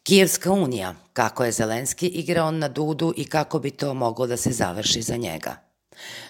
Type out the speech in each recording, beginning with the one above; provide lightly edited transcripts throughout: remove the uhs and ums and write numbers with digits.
Kijevska unija, kako je Zelenski igrao na Dudu i kako bi to moglo da se završi za njega.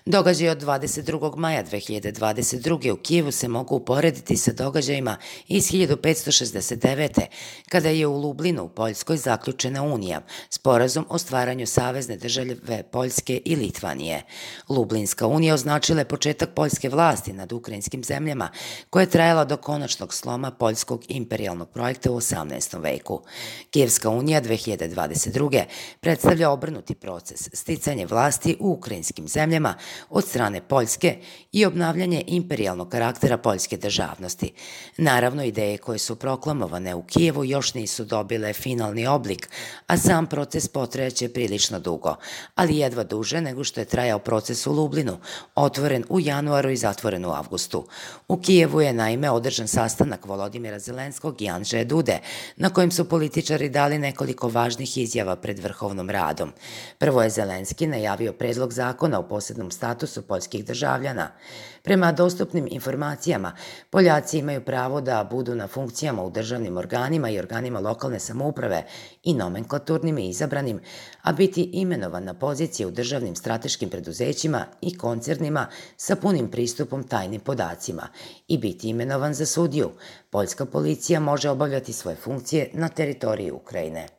Događaj od 22. maja 2022. u Kijevu se mogu uporediti sa događajima iz 1569. kada je u Lublinu u Poljskoj zaključena unija, sporazum o stvaranju savezne države Poljske i Litvanije. Lublinska unija označila je početak poljske vlasti nad ukrajinskim zemljama, koja je trajala do konačnog sloma poljskog imperijalnog projekta u 18. veku. Kijevska unija 2022. predstavlja obrnuti proces, sticanje vlasti u ukrajinskim zemljama od strane Poljske i obnavljanje imperijalnog karaktera poljske državnosti. Naravno, ideje koje su proklamovane u Kijevu još nisu dobile finalni oblik, a sam proces potrajaće prilično dugo, ali jedva duže nego što je trajao proces u Lublinu, otvoren u januaru i zatvoren u avgustu. U Kijevu je naime održan sastanak Volodimira Zelenskog i Andžeja Dude, na kojem su političari dali nekoliko važnih izjava pred Vrhovnom radom. Prvo je Zelenski najavio predlog zakona o posebnom statusu poljskih državljana. Prema dostupnim informacijama, Poljaci imaju pravo da budu na funkcijama u državnim organima i organima lokalne samouprave i nomenklaturnim i izabranim, a biti imenovan na pozicije u državnim strateškim preduzećima i koncernima sa punim pristupom tajnim podacima i biti imenovan za sudiju. Poljska policija može obavljati svoje funkcije na teritoriji Ukrajine.